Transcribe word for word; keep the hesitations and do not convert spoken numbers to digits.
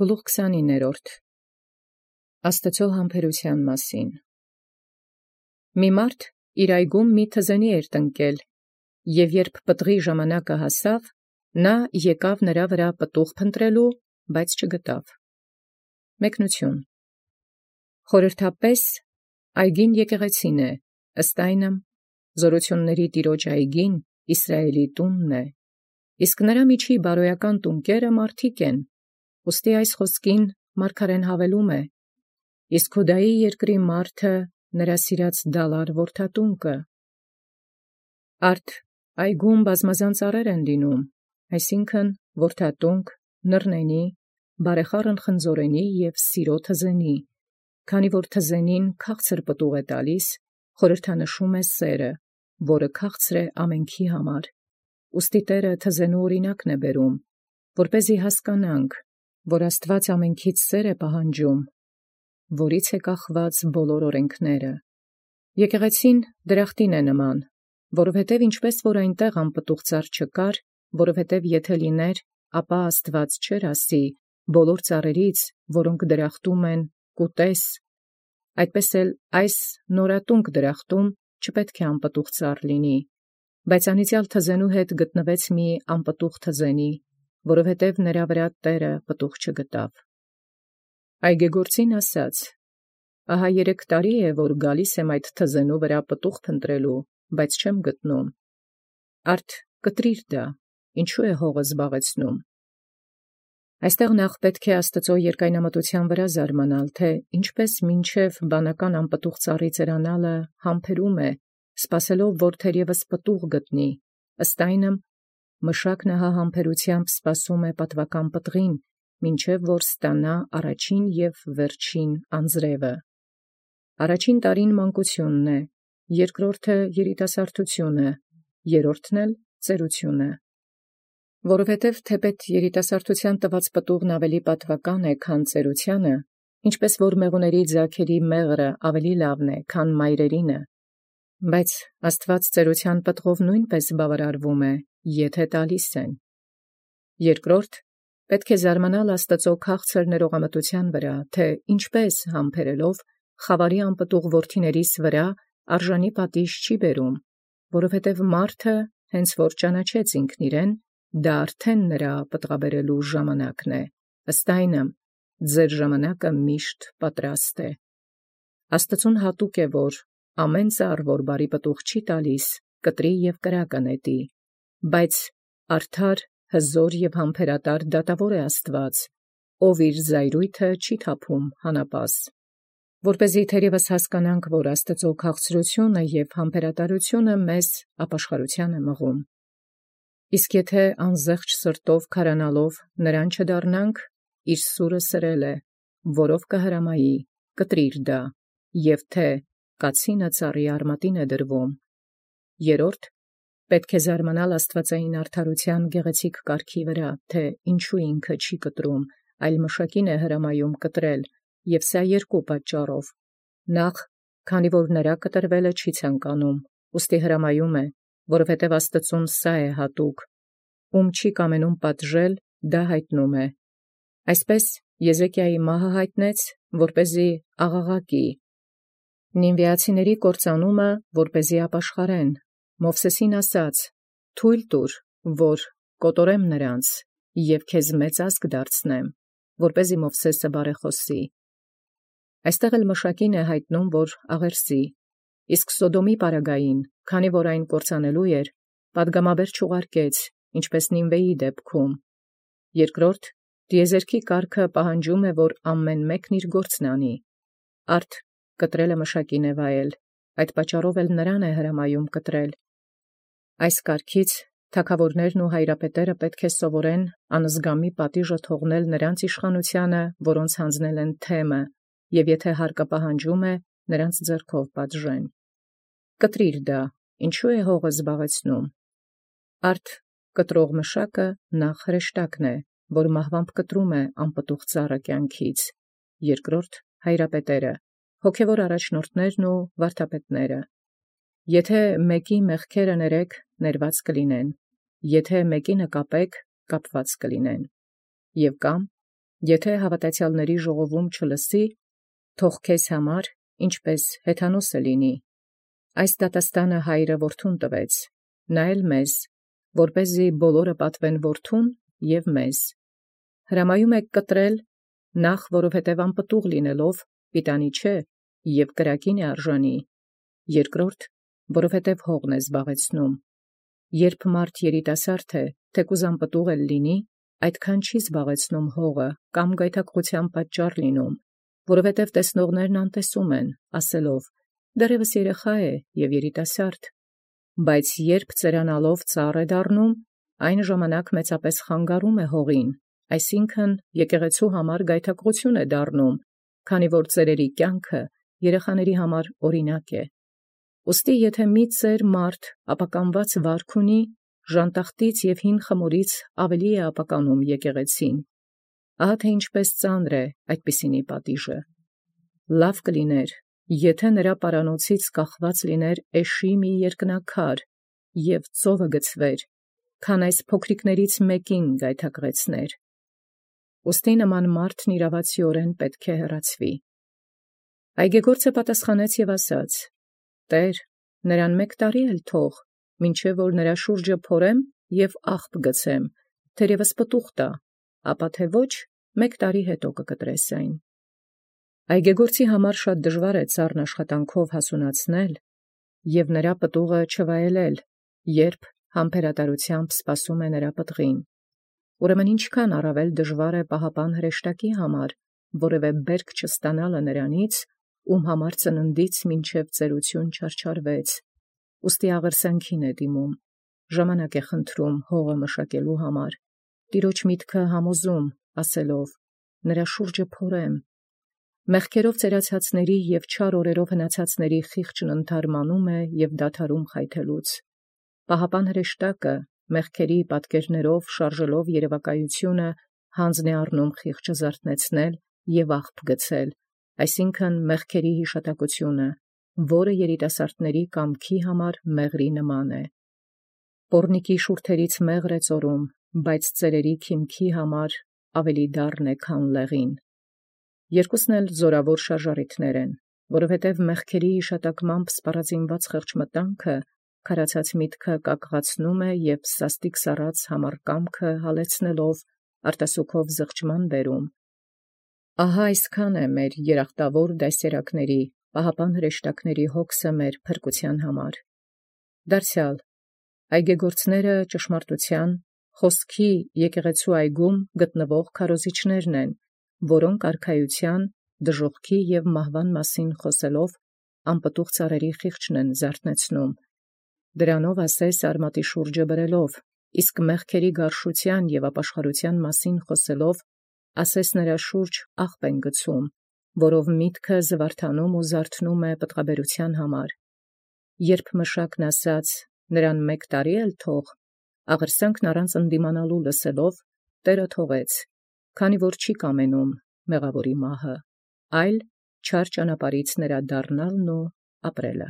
Գլուխ քսանիններորդ Աստծո համբերութեան մասին։ Մի մարդ իր այգում մի թզենի էր տնկել, և երբ պտղի ժամանակը հասավ, նա եկավ նրա վրա պտուղ փնտրելու, բայց չգտավ։ Մեկնություն Խորհրդապես այգին եկեղեցին է, ըստ այնմ զօրութիւնացն Տեառն այգին Իսրայէլի տունն է, իսկ նրա միջի բարոյական տունկերը մարդիկ են, ուստի այս խոսքին մարգարեն հավելում է. իսկ Յուդայի երկրի մարդը նրա սիրած դալար որդատունկը։ Արդ այգում բազմազան ծառեր են լինում, այսինքն որդատունկ, նռնենի, բարեխառն խնձորենի և սիրո թզենի, քանի որ թզենին քաղցր պտուղ է տալիս, խորհրդանշում է սերը, որը քաղցր է ամենքի համար, ուստի Տէրը թզենու օրինակն է բերում, որպեսզի հասկանանք, որ Աստուած ամենքից սեր է պահանջում, որից է կախված բոլոր օրենքները։ Եկեղեցին դրախտին է նման, որովհետև ինչպես որ այնտեղ անպտուղ ծառ չկար, որովհետև եթե լիներ, ապա Աստուած չէր ասի բոլոր ծառերից, որոնք դրախտում են, կուտես, այդպես էլ այս նորատունկ դրախտում չպետք է անպտուղ ծառ լինի, բայց անիծյալ թզենու հետ գտնվեց մի անպտուղ թզենի, որովհետև նրա վրա Տէրը պտուղ չգտավ։ Այգեգործին ասաց. ահա երեք տարի է, որ գալիս եմ այդ թզենու վրա պտուղ փնտրելու, բայց չեմ գտնում։ Արդ կտրիր դա, ինչու է հողը զբաղեցնում։ Այստեղ նախ պետք է Աստծո երկայնամտութեան վրա զարմանալ, թե ինչպես մինչև բանական անպտուղ ծառի ծերանալը համբերում է, սպասելով, որ թերևս պտուղ գտնի, ըստ այնմ մշակն ահա համբերութեամբ սպասում է պատվական պտղին, մինչև որ ստանա առաջին և վերջին անձրևը։ Առաջին տարին մանկությունն է, երկրորդը երիտասարդությունը, երրորդն էլ ծերությունը։ Որովհետև թեպետ երիտասարդութեան տված պտուղն ավելի պատվական է, քան ծերութեանը, ինչպես որ մեղուների ձագերի մեղրը ավելի լավն է, քան մայրերինը, բայց Աստուած ծերութեան պտղով նույնպես բավարարվում է, եթե տալիս են։ Երկրորդ, պետք է զարմանալ Աստծո քաղցր ներողամտութեան վրա, թե ինչպես համբերելով խավարի անպտուղ որդիներիս վրա արժանի պատիժ չի բերում, որովհետև մարդը հենց որ ճանաչեց ինքն իրեն, դա արդեն նրա պտղաբերելու ժամանակն է, ըստ այնմ ձեր ժամանակը միշտ պատրաստ է։ Աստծուն հատուկ է, որ ամեն ծառ, որ բարի պտուղ չի տալիս, կտրի և կրակը նետի, բայց արդար, հզոր և համբերատար դատավոր է Աստուած, ով իր զայրույթը չի թափում հանապազ։ Որպեսզի թերևս հասկանանք, որ Աստծո քաղցրությունը և համբերատարությունը մեզ ապաշխարութեան է մղում։ Իսկ եթե անզեղջ սրտով քարանալով նրան չդառնանք, իր սուրը սրել է, որով կհրամայի, կտրիր դա, և թե կացինը ծառի արմատին է դրվում։ Երրորդ, պետք է զարմանալ աստվածային արդարութեան գեղեցիկ կարգի վրա, թե ինչու ինքը չի կտրում, այլ մշակին է հրամայում կտրել, և սա երկու պատճառով. նախ, քանի որ նրա կտրվելը չի ցանկանում, ուստի հրամայում է, որովհետև Աստծուն սա է հատուկ, ում չի կամենում պատժել, դա հայտնում է։ Այսպես Եզեկիայի մահը հայտնեց, որպեսզի աղաղակի, նինվեացիների կործանումը, որպեսզի ապաշխարեն, Մովսեսին ասաց. թույլ տուր, որ կոտորեմ նրանց, և քեզ մեծ ազգ դարձնեմ, որպեսզի Մովսեսը բարեխոսի։ Այստեղ էլ մշակին է հայտնում, որ աղերսի, իսկ Սոդոմի պարագային, քանի որ այն կործանելու էր, պատգամաբեր չուղարկեց, ինչպես Նինվեի դեպքում։ Երկրորդ, տիեզերքի կարգը պահանջում է, որ ամեն մեկն իր գործն անի։ Արդ կտրելը մշակին է վայել, այդ պատճառով էլ նրան է հրամայում կտրել։ Այս կարգից թագավորներն ու հայրապետերը պետք է սովորեն անզգամի պատիժը թողնել նրանց իշխանությանը, որոնց հանձնել են թեմը, և եթե հարկը պահանջում է, նրանց ձեռքով պատժեն։ Կտրիր դա, ինչու է հողը զբաղեցնում։ Արդ կտրող մշակը նախ հրեշտակն է, որ մահվամբ կտրում է անպտուղ ծառը կյանքից, երկրորդ հայրապետերը, հոգևոր առաջնորդներն ու վարդապետները։ Եթե մեկի մեղքերը ներեք, ներված կլինեն, եթե մեկի նկապեք, կապված կլինեն։ Եւ կամ Եթե հաւատացեալսն ժողովում չլսի, թող քեզ համար ինչպէս հեթանոս լինի։ Այս դատաստանը հայրը որդուն տվեց, նա էլ մեզ, որպեսզի բոլորը պատվեն որդուն և մեզ։ Հրամայում եք կտրել, նախ որովհետև անպտուղ լինելով պիտանի չէ և կրակին է արժանի, երկրորդ, որովհետև հողն է զբաղեցնում։ Երբ մարդ երիտասարդ է, թեկուզ անպտուղ էլ լինի, այդքան չի զբաղեցնում հողը կամ գայթակղության պատճառ լինում, որովհետև տեսնողներն անտեսում են, ասելով. «Դեռևս երեխա է և երիտասարդ», բայց երբ ծերանալով ծառ է դառնում, այն ժամանակ մեծապես խանգարում է հողին, այսինքն եկեղեցու համար գայթակղություն է դառնում, քանի որ ծերերի կյանքը երեխաների համար օրինակ է։ Ուստի եթե մի ծեր մարդ ապականված վարք ունի, ժանտախտից և հին խմորից ավելի է ապականում եկեղեցին։ Ահա թե ինչպես ծանր է այդպիսինի պատիժը։ Լավ կլիներ, եթե նրա պարանոցից կախված լիներ էշի մի երկնաքար և ծովը գցվեր, քան այս փոքրիկներից մեկին գայթակղեցներ։ Ուստի նման մարդն իրավացիորեն պետք է հեռացվի։ Այգեգործը պատասխանեց և ասաց. «Տէր, նրան մեկ տարի էլ թող, մինչև որ նրա շուրջը փորեմ և աղբ գցեմ, թերևս պտուղ տա, ապա թե ոչ, մեկ տարի հետո կկտրես այն»։ Այգեգործի համար շատ դժվար է ծառն աշխատանքով հասունացնել և նրա պտուղը չվայելել, երբ համբերատարությամբ սպասում է նրա պտղին։ Ուրեմն ինչքան առավել դժվար է պահապան հրեշտակի համար որևէ բերք չստանալը նրանից, ում համար ծննդից մինչև ծերություն չարչարվեց, ուստի աղերսանքին է դիմում, ժամանակ է խնդրում հողը մշակելու համար, Տիրոջ միտքը համոզում, ասելով. «Նրա շուրջը փորեմ»։ Մեղքերով ծերացածների և չար օրերով հնացածների խիղճն ընդհարմանում է և դադարում խայթելուց։ Պահապան հրեշտակը մեղքերի պատկերներով շարժելով երևակայությունը հանձն է առնում խիղճը զարթնեցնել և աղբ գցել, այսինքն մեղքերի հիշատակությունը, որը երիտասարդների կամքի համար մեղրի նման է։ Պոռնիկի շուրթերից մեղր է ծորում, բայց ծերերի քիմքի համար ավելի դառն է, քան լեղին։ Երկուսն էլ զորավոր շարժառիթներ են, որովհետև մեղքերի հիշատակմամբ սպառազինված խեղճմտանքը քարացած միտքը կակղացնում է և սաստիկ սառած համառ կամքը հալեցնելով արտասուքով զղջման բերում։ Ահա այսքան է մեր երախտավոր դասերակների, պահապան հրեշտակների հոգսը մեր փրկության համար։ Դարձյալ այգեգործները ճշմարտության, խոսքի եկեղեցու այգում գտնվող քարոզիչներն են, որոնք արքայության, դժոխքի և մահվան մասին խոսելով անպտուղ ծառերի խիղճն են զարթնեցնում, դրանով ասես արմատի շուրջը բրելով, իսկ մեղքերի գարշության և ապաշխարության մասին խոսելով ասես նրա շուրջ աղբ են գցում, որով միտքը զվարթանում ու զարթնում է պտղաբերության համար։ Երբ մշակն ասաց. «Նրան մեկ տարի էլ թող», աղերսանքն առանց ընդդիմանալու լսելով Տէրը թողեց, քանի որ չի կամենում մեղավորի մահը, այլ չար ճանապարհից նրա դառնալն ու ապրելը։